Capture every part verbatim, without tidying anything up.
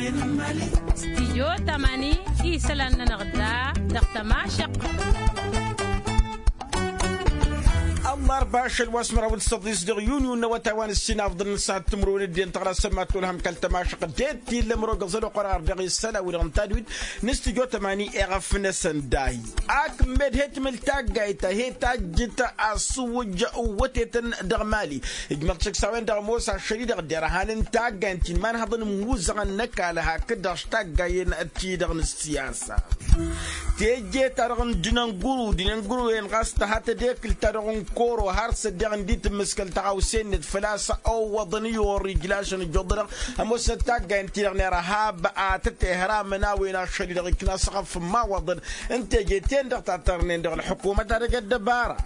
Stijyo tamani isălan-nănăɣ da dăɣ-tămašăq. Ăllarba ašăl wa s-măraw d-săḍis dăɣ-yunyu n-awătay wa n-ǝssin afḍǝl n-săhat timǝrwen d-en tăɣra sămmat olhăm kăl-tămašăq d-e t-illa măro găẓăl oqor ar dăɣ-isălan wi-dăɣ n-tadwit n-stijyo tamani eɣăf-năsăn dahi. Ak med he-tǝmǝl taggayt ta he-tajjǝt asǝwwǝj n-wătetăn dăɣ-mali. Ijmăḍ šăkk s-a-wen-dăɣ ămoos ašăl-i-dăɣ derhan n-taggayt ti n-imanhăḍăn n-imuzăɣăn n-ăkall hakd-dăɣ s-taggayen-ti-dăɣ n-ăssiyasa. Teje-ta-dăɣ n-dinănguru dinănguru-en ɣas tăha tădekǝlt-ta-dăɣ n-koro har s-ăddeɣ ǝndi tǝmmǝskăl tăɣawse-net făl-a-s ăwwăḍăn i-orrij lašăn ǝjjuḍănăɣ. Ămoosnăt taggayen-ti-dăɣ n-irhab a tăt-ihramăn a-wen ašăl-i-dăɣ ikna s-ăɣăf n-imawăḍăn n-teje-ten-dăɣ ta tărnen dăɣ-ălḥukumăt ad-ăj ăddăbara.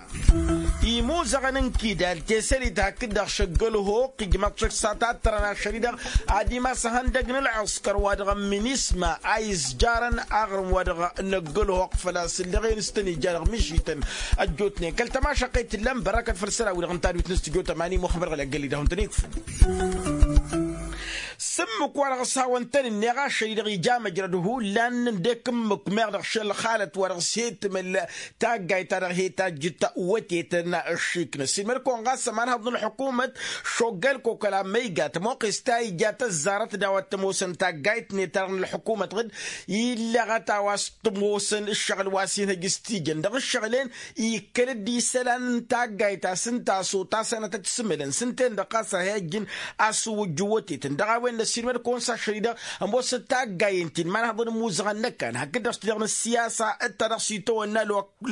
Imuzăɣăn n-kidal tesălit hakd-dăɣ šăgg ălhoq ijmăḍ šăkk s-a tattărăn ašăl-i-dăɣ ad-imas ihăndăg n-ălɣǝskăr wa dăɣ-ămminisma a izjarăn aɣrǝm wa dăɣ-năgg ălhoq făl-a-s ǝllăɣen s-tăn-ija dăɣ-mišităn. Ăjjootnen kăl-tămašăqqet tǝllăm bărăkăt făll-isălan-wi-dăɣ n-tadwit n-studyo tămani muxămmăd ɣăli ăggălli-dăɣ n-tăn-ikfǝn. S-ǝmmǝk-wa-dăɣ s-hawăn-tăn-ǝnneɣ ašăl-i-dăɣ ija măjrăd hullan n-dd-ekǝmmǝk meɣ dăɣ-šăl xalăt-wa-dăɣ s-he-tǝmǝl taggayt-ta-dăɣ he-tajjǝt wătetăn ăššiknăs ilmăd-kăwăn ɣas ămanhăḍ n-ălḥukumăt šoggăl-kăw kăla măyga tămoqqes ta ija tăzzarăt d-a-wa t-ămoosăn taggayt-net-ta-dăɣ n-ălḥukumăt ɣǝd illăɣăt a-wa s-t-ămoosăn ǝššăɣǝl wa s-inhăj s-tijăn dăɣ-ǝššăɣǝl-en. Ikkăl-dd isălan n-taggayt ta s-ǝnta a-s otasănăt ad-t-sǝmǝlăn s-ǝnta-en-dăɣ ɣas a hi-ăjjǝn a-s ǝwwǝjjǝw wătetăn dăɣ-a-wen n-ăssiilmăd-kăwăn s-ašăl-i-dăɣ ămoosăt taggayen ti n-imanhăḍăn n-imuzăɣăn n-ăkall hakd-dăɣ s-ti-dăɣ n-ăssiyasa d-ta dăɣ-s itawănna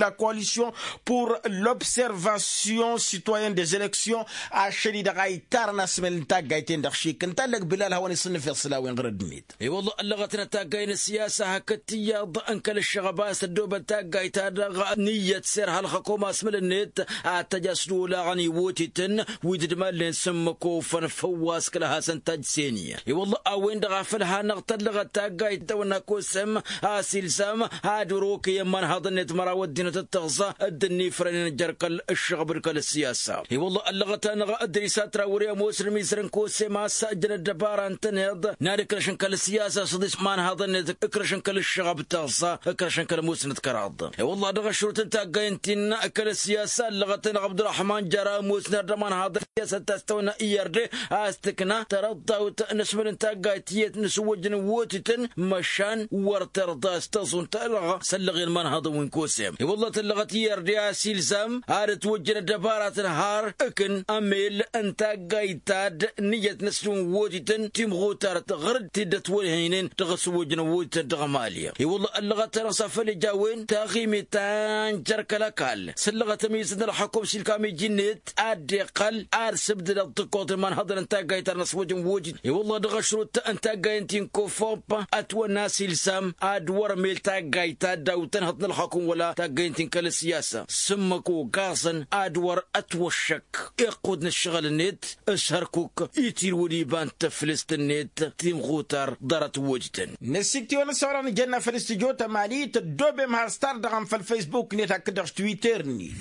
la coalition pour l'observation citoyenne des élections. Ašăl-i-dăɣ a ittarăn asmăl n-taggayt-en-dăɣ šik ǝnta ăllăg bilal hawăn-isǝnnǝfeḍ s-la-wen ɣărăd-net. I-wălla ăllăɣăt n-taggayt n-ăssiyasa hakd tiyyăḍ n-kăl-ǝššăɣăb a-s tăddoobăt taggayt-ta-dăɣ n-iyyăt s-irha ălxăkom asmăl-net ad-t-ăj a-s d-olaɣăn iwotităn wi dd-malnen s-ǝmmǝk ofăn făw wa s-kăl-hasăn-tajj seni. I-wălla a-wen-dăɣ a făl hanăɣ-tăllăɣăt taggayt tawănna kosăm a-s ilzam ad-wăr-okăyăn imanhaḍăn-net măraw ăddinăt d-tăɣza dd-ǝnnifrănen jer-kăl-ǝššăɣăb d-kăl-ăssiyasa. I-wălla ăllăɣăt-anăɣ d-ărisat ra wăr-e ămoosăn imizărăn kosăm a-s ăjjăn ăddăbara ǝntăneḍ n-ad-ǝkrăšăn kăl-ăssiyasa s-ăḍis imanhaḍăn-net ǝkrăšăn kăl-ǝššăɣăb d-tăɣza ǝkrăšăn kăl-ămoosnăt kăraḍ. I-wălla dăɣ-ašrut n-taggayǝn ti n-kăl-ăssiyasa ăllăɣăt-anăɣ abdurăḥman jăra ămoosnăr d-ămanhaḍăn ăssiyasa d-ta s-tăwănna i-ărde a-s tǝkna tărăḍḍawt n-asmăl n-taggayt tiyyăt n-asǝwwăjăn n-wotităn măšan wăr tărḍa a-s tăẓunt ălɣa s-ăllăɣen imanhaḍăn wi n-kosem. I-wălla tăllăɣăt i-ărde a-s ilzam ad-ătwăjjăn ăddăbaratăn har ǝkn ămel n-taggayt ta d-niyyăt n-asǝlǝw n-wotităn timɣutarăt ɣăr-dd t-dd-ătwălhăynen dăɣ-asǝwwăjăn n-wotităn dăɣ-mali. I-wălla ăllăɣăt-anăɣ s-afăl ija a-wen taɣimit ta n-jer-kăl-ăkall s-ăllăɣăt ămizăt n-ălxăkum s-ilkam iji-net ad-dd-iqqăl ad-sǝbdǝdăt tǝkkoḍ n-imanhăḍăn n-taggayt ta n-asǝwwăj n-wojǝd. I-wălla dăɣ-ašrut n-taggayt n-ti n-kofop ătwănna a-s ilsam ad-wăr-mel taggayt ta dd-awǝt tănhăḍ n-ălxăkum wăla taggayt n-ti n-kăl-ăssiyasa s-ǝmmǝk ogaẓăn ad-wăr-ătwăššăk iqqud n-ǝššăɣǝl-net s-hărkuk itirwǝd iba n-taflǝst-net timɣutar ḍarăt wojǝtăn. Năsikt'-iwăn ăssăwărăn ijănna făll-studyo tămani tăddobem has-tardăɣăm făll-facebook-net hakd-dăɣ s-twitter-net.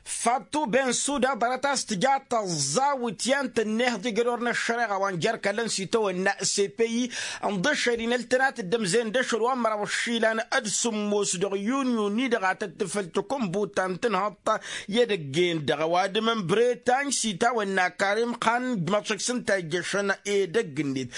Fatu bensuda ḍarăt a-s tǝja tăẓẓawǝt i-ad-tăn-nehăḍ igădor n-ăššăreɣa wa n-jer-kăllăn s-itawănna cpi. Ǝnḍǝššăl-in ăltănat dd-ămzen d-ašăl wa n-măraw ăššilan ad-sǝmmos dăɣ-yunyu-ni-dăɣ a tăt-tǝfăl takǝnbut ta n-tǝnhăḍt i-edăgg-en-dăɣ ăwadǝm n-bretañ s-itawănna karim xan ǝjmăḍ šăkk s-ǝnta ijjăšăn edăgg-net.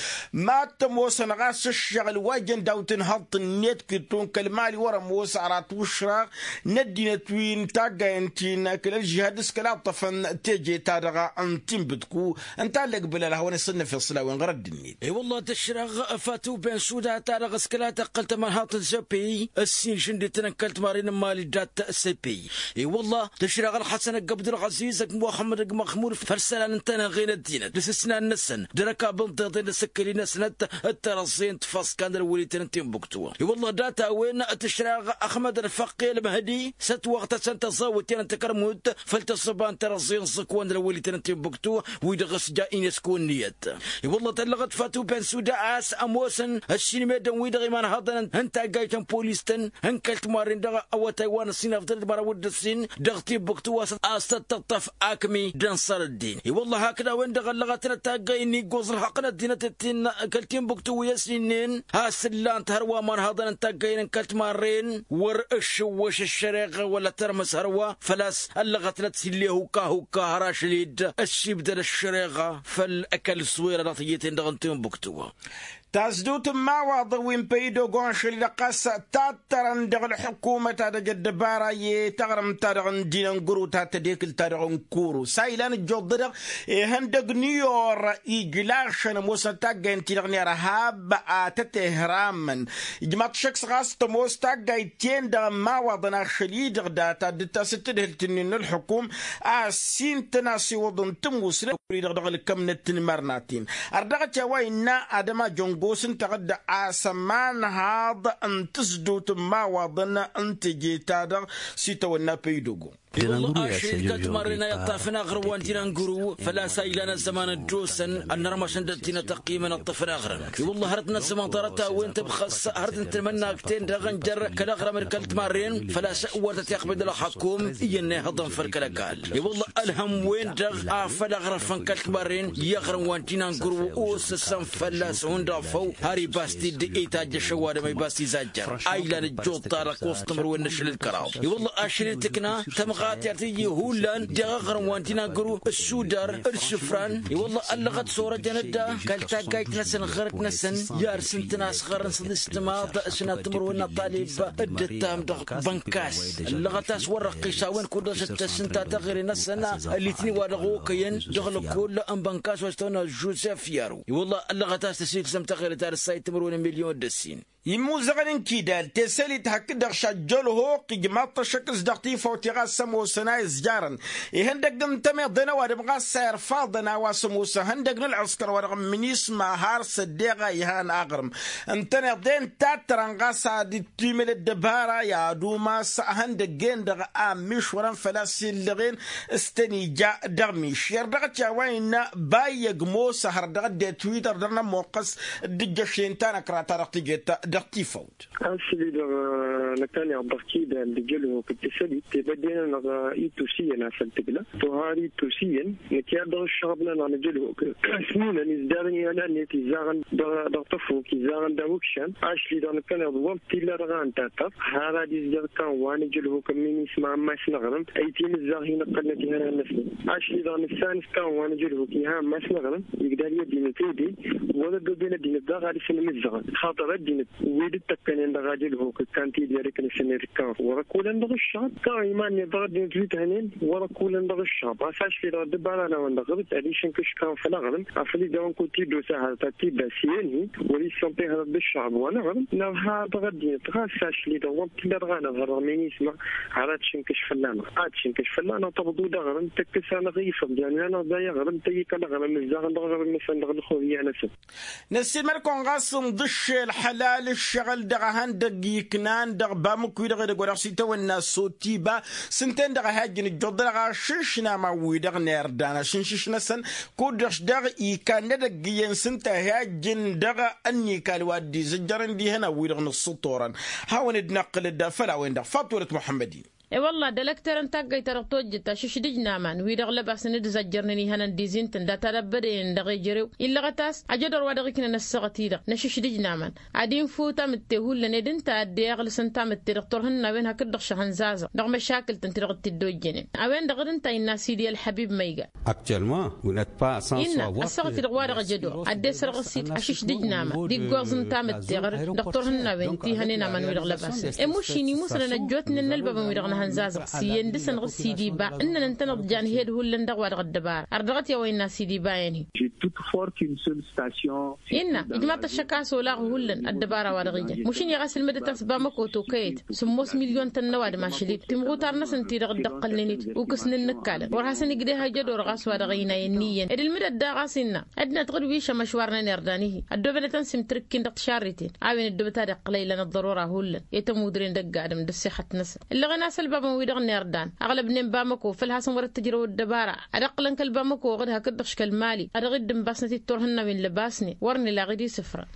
Mad-tămoosăn ɣas ǝššăɣǝl wa jăn daw-tǝnhăḍt-net kitton kăl-mali wăr-ămoos ara t-wǝšraɣ n-ăddinăt wi n-taggayăn ti n-kăl-ălžihad s-kăla ǝṭṭăfăn teje-ta-dăɣ n-tinbǝtku. Ǝnta a ǝllăg bǝlal a hawăn-isǝnnăfeḍ s-la-wen ɣărădd-net. I-wălla tǝšraɣ fatu bensuda-ta-dăɣ s-kăla tăqqăl tămărhaḍt n-zăpey ǝssin šǝndităn n-kăl-timarren n-imali dat-săpey. I-wălla tǝšraɣ ălxăsăn ăgg abdulɣăziz ăgg muxămmăd ăgg măxmud făll-isălan ǝntăneɣ-en ăddinăt d-asǝsnan-năsăn d-erăkab ǝnḍeḍen d-asǝkkăl-i-năsnăt d-tărăẓẓe n-tfăṣka n-ălwălităn n-tinbuktu. I-wălla dat-a-wen tǝšraɣ ăxmăd ălfăqqi ălmăhdi s-ătwăɣtăsăn tăẓẓawǝt i-ad-nǝtǝkărmut făll-tăssăba n-terăẓẓi n-iẓǝkwan d-lăwwălităn n-timbuktu wi-dăɣ s-ja inesku ǝnniyăt. I-wălla tăllăɣăt fatu bensuda a-s ămoosăn ăssinmedăn wi-dăɣ imanhăḍăn n-taggayt n-polis-tăn n-kăl-timarren dăɣ-awătay wa n-ăssinafdăr d-măraw d-ǝssin dăɣ-timbuktu a-s tăt-tǝṭṭăf akmi d-ănṣăr ăddin. I-wălla hakd a-wen-dăɣ ăllăɣătnăt taggay n-iggoẓ ălxăqq n-ăddinăt d-tin kăl-timbuktu wi ăsninnen a-s ǝllan-t hărwa imanhăḍăn n-taggayăn n-kăl-timarren wăr ǝššǝwwăš ăššăreɣa wăla tărmǝs hărwa făl-a-s ăllăɣătnăt s-ille hukka hukka har ašăl-dd ăssiibdăd ăššăreɣa făll-ăkall s-wera dăɣ-tijeten-dăɣ n-timbuktu. Tasdut n-imawaḍăn wi n-păydogo ašăl-i-dăɣ ɣas tattărăn dăɣ-ălḥukumăt ad-ăj ăddăbara i-taɣrǝmt-ta-dăɣ n-dinăngăru ta tădekǝlt-ta-dăɣ n-kuru s-a ilan ǝjjuḍ-dăɣ ihăndăg n-iyor ijlašăn ămoosnăt taggayt-ti-dăɣ n-irhab a tăt-ihramăn. Ijmaḍ-t šăkk s-ɣas tămoos taggayt-ten-dăɣ n-imawaḍăn ašăl-i-dăɣ data dd-tasǝt tǝdhǝlt-nin n-ǝlḥǝkum a ăssintăn a-s iwǝḍ n-tǝmmusnăt wi-dăɣ dăɣ-ǝlkămnăt n-imărnaten. Ărdăɣăt i-a-wa innă ad-ămajăngos ǝnta-dăɣ d-asămanhaḍ n-tǝsdut n-imawaḍăn n-teje-ta-dăɣ s-itawănna păydogo. I-wălla ašăl-i d-kăl-timarren a iṭṭafăn aɣrǝm wa n-dinăngăru făl-a-s a ilan ăzzăman ăddoosăn ănnărmăšăn d-ăddinăt ăqqimăn ǝṭṭăfăn aɣrǝm. I-wălla hărăt n-ăzzăman ḍarăt-a-wen tǝbxăs hărăt n-tanmănna akten dăɣ-ănjăr kăl-aɣrǝm d-kăl-timarren făl-a-s wăr tăt-iqbǝd ălxakum iyyăn ihăḍăn făll-kăl-ăkall. I-wălla ălhăm-wen-dăɣ a făl aɣrǝfăn kăl-timarren i-aɣrǝm wa n-dinăngăru osăsăn fălla-s hundăɣ făw har ibas-t-dd itajjăš ăwadǝm a ibas izajjăr a ilan ǝjjuḍ-ta-dăɣ kosăt timǝrwen n-ašăl d-kăraḍ. I-wălla ašăl-i tǝkna tămɣatert iji hullan deɣ aɣrǝm wa n-dinăngăru ǝssudăr d-isǝfran. I-wălla ăllăɣăt s-orăjăn-dd kăl-taggayt-năsăn ɣărăt-năsăn i-ad-sǝntăn asɣărăn s-ăḍis timaḍ ăsnat timǝrwen n-aṭalib dd-ǝttam dăɣ-bănkas. Ăllăɣăt a-s wăr răqqis a-wen kud-dăɣ s-dd-tăssǝnta taɣere-năsăn ălitni wa dăɣ-okăyăn dăɣ-lăkkull n-bănkas wa s-tăwănna žuzef yaru. I-wălla ăllăɣăt a-s tăsilsăm taɣere ta d-ǝssayǝd timǝrwen n-milyon d-ǝssin. Imuzăɣăn n-kidal tesălit hakd-dăɣ šajjălhoq ijmaḍ-t ăššăk s-dăɣ tifawt i-ɣas ămoosăn a izjarăn ihăndăg n-tămiḍen ăwadǝm ɣas a irfaḍăn a-wa s-ămoos ihăndăg n-ălɣǝskăr wa dăɣ-minisma har s-ăddeɣ a ihan aɣrǝm n-tăneḍen tattărăn ɣas ad-ittimǝl ăddăbara i-ad-umas ihăndăggen-dăɣ a ămmišwărăn făl-a-s illăɣen s-tăn-ija dăɣ-mišer dăɣ-t i-a-wa innă bayyăg mosa hăr dăɣ-ăddinăt wi-dăɣ dăr-nămoqqăs d-ǝjjăšen tanăkra-ta-dăɣ tǝjet dăɣ-tifawt. Asli-dăɣ năkkăneḍ dăɣ-kidal d-ejălhuk d-tisălit tebădde-nănăɣ itus iyyăn a făl tǝgla tohar itus iyyăn năkk i-ad-dăɣ-ǝššăɣăb-nănăɣ n-ejălhuk s-ninăn izdarăn i-ănnet izzaɣăn dăɣ-tăfuk izzaɣăn daw-ikšan. Ašli-dăɣ năkkăneḍ wăr t-illa dăɣ-a ǝnta taḍ har ad-izdeɣ kăwăn ejălhuk n-minisma ammas n-aɣrǝm ăyt-imǝzzaɣ hin-ǝqqălnăt ihănan-năsnăt. Ašli-dăɣ nǝssan s-kăwăn ejălhuk iha ammas n-aɣrǝm igdal i-ăddinăt ede wăr-ăddoben ăddinăt daɣ ad-isǝnmǝzzăɣăn xaṭăr ăddinăt wi dd-tăkkănen dăɣ-ajălhuk ǝkkan tidere kăl-isăned ǝkkan wăr-ăkulăn dăɣ-ǝššăɣăb kăwăn iman-net dăɣ-ăddinăt wi t-hănen wăr-ăkulăn dăɣ-ǝššăɣăb ɣas ašli-dăɣ ăddăbara-năwăn dăɣ-ɣǝrǝt ad-išǝnkǝš kăwăn făll-aɣrǝm afăl ija a-wen kud-t-dd-osa hărăt ad-t-dd-asǝyăn-hi wăr-issănṭe hărăt d-ǝššăɣăb wa n-aɣrǝm nărha dăɣ-ăddinăt ɣas ašli-dăɣ wăr t-illa dăɣ-anăɣ hărăt minisma har ad-t-išǝnkǝš fălla-năɣ ad-t-išǝnkǝš fălla-năɣ tăbḍu d-aɣrǝm tăkkăs-anăɣ ifăḍ yan-anăɣ d-ay aɣrǝm tăyyǝk ălɣrǝm ǝzzaɣăn dăɣ-aɣrǝm-năsăn dăɣ-ălxurǝyya-năsăn. Năssiilmăd-kăwăn ɣas ǝnḍǝššel ălḥălal ǝššăɣǝl dăɣ-ehăndăgg iknan dăɣ-bamuk-wi-dăɣ edăgg wa dăɣ-s itawănna sotiba s-ǝnta-en-dăɣ a hi-ajjăn ǝjjuḍ-dăɣ ašǝšnam a-wi-dăɣ n-irdan ašǝnšǝš-năsăn kud-dăɣ-s daɣ ikan n-edăgg iyyăn s-ǝnta a hi-ajjăn dăɣ-ănnikal wa dd-izǝjjărăn d-ihănan-wi-dăɣ nǝssǝṭṭurăn. Hawăn-dd-năqqǝlăd făll-a-wen-dăɣ faṭulăt muḥămmăd-in. E-wălla-hi d-elăktărăn taggayt-ta-dăɣ tojjăt ašǝšdǝj n-aman wi-dăɣ lăbasăn d-zăjjărnen ihănăn d-izintăn data d-ăbbădăyăn dăɣ-ejărew illăɣăt a-s ajădor wa dăɣ-iknăn ăssaɣăt-i-dăɣ n-ašǝšdǝj n-aman ad-infǝw tamǝtte hullan ed ǝnta a dd-iɣlǝsăn tamǝtte dăɣ-turhǝnnawen hakd-dăɣ šăhăn zazăɣ dăɣ-măšakǝl-tăn ti-dăɣ t-dd-ojjănen. A-wen-dăɣ d-ǝnta innă sidi ălḥăbib ma iga innă ăssaɣăt-i-dăɣ wa dăɣ-ejădor ad-dd-esărɣǝs-dd ašǝšdǝj n-aman d-iggoẓ n-tamǝtte ɣăr-dăɣ turhǝnnawen ti hănen aman-wi-dăɣ lăbasăn. Emušin imusnăn ăjjootnen n-ălbabăn-wi-dăɣ n-ehăn zazăɣ s-iyyăn dăr-săn ɣǝr-sidiba ǝnnăn ǝntăneḍ jan hed hullan dăɣ-wa-dăɣ ăddăbara ărdăɣăt i-a-wa innă sidiba-en-hi. Innă ijmaḍ-t ăššăk a-s olaɣ hullan ăddăbara-wa-dăɣ ijăn mašin i-ɣas ǝlmǝdăt a-s bamăko tokăyet sǝmmos milyon-tăn n-ăwadǝm ašăl-dd timɣutar-năsăn-ti-dăɣ dd-ăqqălnen-dd ukǝsnen n-ǝkkalăn wăr hasăn-ǝjdeh ajădor ɣas wa dăɣ-ăynayăn n-iyyăn ed ǝlmǝdăt daɣ a-s innă ăddinăt ɣǝd wi šămăšwarnen irdan-ihi ăddoobănăt ănsimtǝrǝkkin dăɣ-tišarriten a-wen ăddoobăt ad-iqqǝl a ilan ăḍḍărora hullan i-tămudren dăgg-adǝm d-ăssixăt-năsăn. Ǝllăɣăn a-s ălbabăn-wi-dăɣ n-irdan aɣlăbnen bamăko făl hasăn-wăr-ăttăjrăw ăddăbara ad-ăqqǝlăn kăl-bamăko ɣǝd hakd-dăɣ š-kăl-mali a dăɣ-dd-ǝnbasnăt i-turhǝnnawen lăbasnen wăr nǝlaɣ-dd isǝfrăn.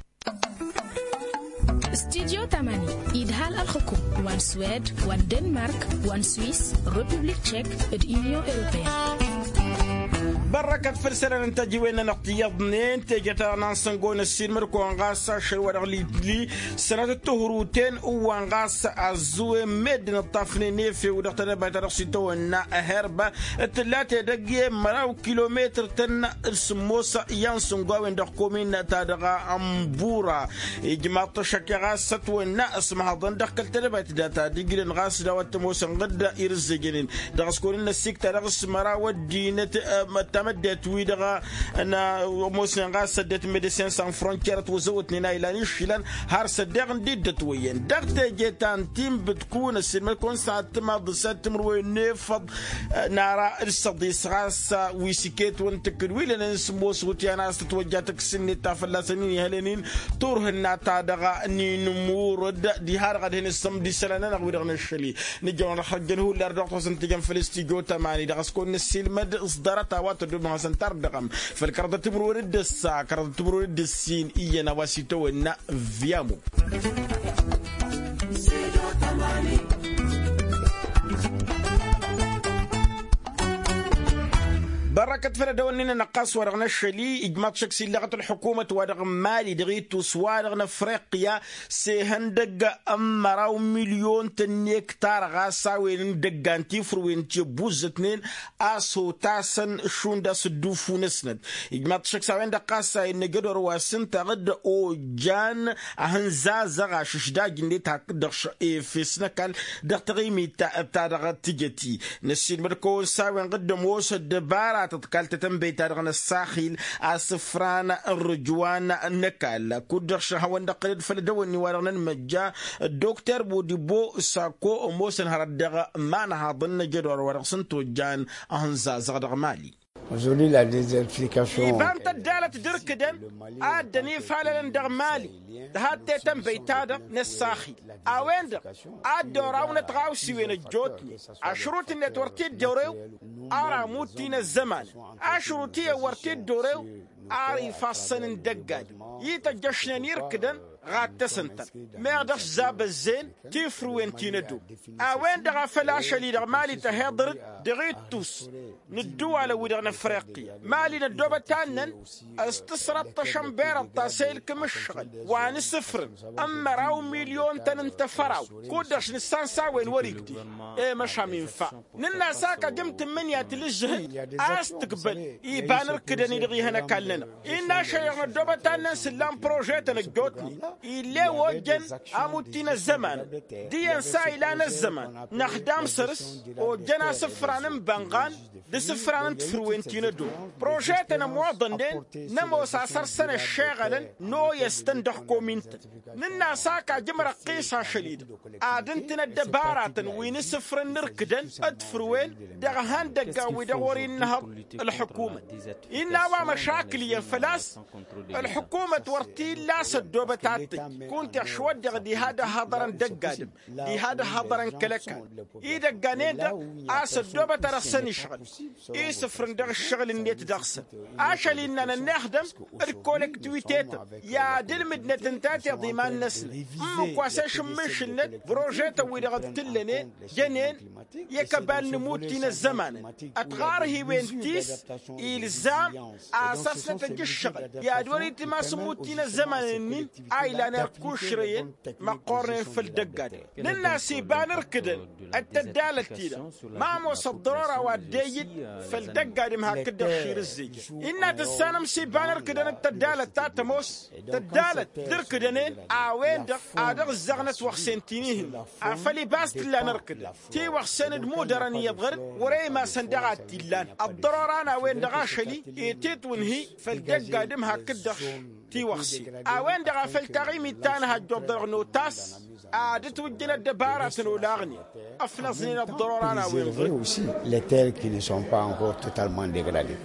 Studyo tamani idhal ălxukum wa n-swed wa n-denmark wa n-swis republik tšek d-unyon europeyăn. Bărrăkăt făll-isălan n-tăjiwen-nănăɣ ti iyyăḍnen teje-ta-dăɣ n-ansăngo n-ăssiilmăd-kăwăn ɣas ašăl wa dăɣ-li-li sănatăt tuhruten ǝwwăn ɣas ăzzuwen meddǝn ǝṭṭafnen efew dăɣ-tedăbayt ta dăɣ-s itawănna. Herba t-tǝlla tedăgg i-măraw kilometăr-tăn d-sǝmmos i-ansǝngo a-wen dăɣ-komin-ta dăɣ-ănbura. Ijmaḍ-t ăššăk i-ɣas ătwănna ăsmăhăḍăn dăɣ-kăl-tedăbayt data d-ǝjlăn ɣas d-a-wa t-ămoosăn ɣǝdda irǝzzejănen dăɣ-s kăwăn-in-năssikta dăɣ-s măraw ăddinăt. Tamăddayt-wi-dăɣ n-ămoosnen ɣas ăddinăt medecin san frontier ătwăzăwătnen a ilan išilăn har s-ăddeɣ n-dd-ătwăyyăn dăɣ-teje ta n-tinbǝtkun ăssiilmăd-kăwăn s-ad-tǝmaḍ s-ad-timǝrwen n-efăḍ. Nara d-săḍis ɣas wi s-iket wăn tǝkkǝd wi lănen s-ămoos wutyan a-s tătwăjja tǝks-net ta fălla-săn-in ihălăn-in turhǝnna-ta-dăɣ n-inǝmurăd. Diha-dăɣ ad-hin-ǝssǝmd isălan-nănăɣ wi-dăɣ năššăl-i nǝjjăwăn ălxăjjăn hullan dăɣ-tăsăn tǝjăn făll-studyo tamani dăɣ-s kăwăn-năssiilmăd s-ḍarăt a-wa tăddomăn hasăn-tarǝddăɣăm făll-kăraḍăt timǝrwen d-ǝssa kăraḍăt timǝrwen d-ǝssin iyyăn a-wa s-itawănna. Viamo. Bărrăkăt făll-edăwănnin-nănăɣ ɣas wa dăɣ-năššăl-i ijmaḍ šăkk s-illăɣăt ălḥukumăt wa dăɣ-n mali dăɣ-ittus wa dăɣ-năfriqya s-ehăndăgg n-măraw milyon-tăn n-ektar ɣas a-wen n-dăggan tifrǝwen ti ăbbuzzătnen a-s hotasăn šund a-s ǝddufu-năsnăt. Ijmaḍ-t šăkk s-a-wen-dăɣ ɣas a innă jădor wa s-ǝnta ɣǝd ojjan ahǝnzazăɣ ašǝšdaj-net hakd-dăɣ efes n-ăkall dăɣ-taɣimit ta dăɣ-tijăt-i. Năssiilmăd-kăwăn s-a-wen ɣǝd ămoos ăddăbara tăḍkal tetănbăyt ta dăɣ-năssaxil asǝfran n-rǝjwan n-ăkall kud-dăɣ šăhăwăn-dăɣ tăled făll-edăwănni wa dăɣ-nănmăjja ăddokter bodibo sako ămoosăn hărăt dăɣ-imanhaḍăn n-ajădor wa dăɣ-s n-tojjan ahǝnzazăɣ dăɣ-mali. Iba n-tăddalăt d-irkǝdăn a dd-ănifalălăn dăɣ-mali tǝhadd tetănbăyt-ta-dăɣ n-ăssaxil a-wen-dăɣ a dd-orawnăt ɣawsiwen ăjjootnen ašrut-net wăr t-dd-orew. Ar amut-in ăzzămanăn ašrut iyyăn wăr t-dd-orew. Ar ifassăn n-dăgg-ad-i tăjjăšnen irkǝdăn ɣattăs ǝntăn meɣ dăɣ-s zabăzzeen tifrǝwen ti n-ădom. A-wen-dăɣ a făl ašăl-i-dăɣ mali tăheḍărăt dăɣ-ittus n-ǝddǝwalăn-wi-dăɣ n-afriqi mali n-ăddoobăt annăn s-tǝsrăṭṭăšăn berăḍ ta s-e-ilkǝm ǝššăɣǝl wa n-asǝfrăn n-măraw milyon-tăn n-tafărawt kud-dăɣ š-nǝssan s-a-wen wăr-igdǝy. I-măšan infa nǝnn'-as ak ajǝm tǝmmǝnǝya tǝlǝžžǝhǝd a-s tǝkbăl iba n-irkǝdăn-i-dăɣ ihăn ăkall-nănăɣ. Innă ašăl-i-dăɣ n-ăddoobăt annăn s-ǝllan prožetăn ăjjootnen ill'-e-w ojjăn amut-ti n-ăzzăman d-iyyăn s-a ilan ăzzăman năxdam săr-s ojjăn asǝfran n-bănɣan d-asǝfran n-tafrǝwen ti n-ădom. Prožetăn ămoḍănnen n-ămoos asăr-săn ăššeɣălăn n-oyăs-tăn dăɣ-komin-tăn. Nǝnn'-as ak ajǝm răqqis ašăl-i-dăɣ ad-ǝntǝn ăddăbaratăn wi n-asǝfrăn n-irkǝdăn d-tafrǝwen dăɣ-ihăndăggan-wi-dăɣ wăr-innăhăḍ ălxǝkumăt. Innă a-wa măšakǝl iyyăn făl-a-s ălxǝkumăt wăr t-illa a-s ăddoobăt ad-tăjj kunta ăšwăddeɣ diha d-ăhhăḍărăn dăgg-adǝm diha d-ăhhăḍărăn kăl-ăkall. Idăggan-en-dăɣ a-s ăddoobăt ad-dăɣ-săn išɣǝl isǝfrǝn dăɣ-ǝššăɣǝl-net dăɣ-săn. Ašăl innă nănnexdăm d-kolăktiwite-tăn i-ad-ǝlmǝdnăt ǝnta tiḍa iman-năsnăt ǝmmǝk wa s-e-šǝmmǝnšǝlnăt prožetăn-wi-dăɣ dd-tǝllănen jănen i-kăbal n-imut-ti n-ăzzămanăn ătɣarhiwen-t-s ilzam asăsnăt ăj ǝššăɣǝl i-ad-wăr-itǝm a-s imut-ti n-ăzzămanăn-in a ilan irkušrăyăn măqqornen făll-dăgg-adǝm. Nǝnn'-as iba n-irkǝdăn d-tăddalăt-ti-dăɣ ma ămoos ăḍḍărora wa dd-e-ijǝn. Făl dăgg-adǝm hakd-dăɣ šir ǝzzejăn innă tǝssanăm s-iba n-ărkǝdăn d-tăddalăt ta tămoos tăddalăt d-ărkǝdăn-en a-wen-dăɣ ad-ăɣ-ǝzzaɣnăt wăɣsen ti n-ihǝnna afăl ibas t-illa n-ărkǝdăn tiwăɣsen d-imudărăn iyyăḍ ɣăr-dd wăr-e imasăn daɣ a t-illan. Ăḍḍărora n-a-wen-dăɣ ašăl-i i-titwǝnhi făll-dăgg-adǝm hakd-dăɣ tiwăɣse a-wen-dăɣ a făl taɣimit ta n-hajjoḍ dăɣ-notas ad-ǝtwǝjjăn ăddăbaratăn olaɣnen ăfnăẓnen ăḍḍărora n-a-wen-dăɣ. Aussi les terres qui ne sont pas encore totalement dégradées.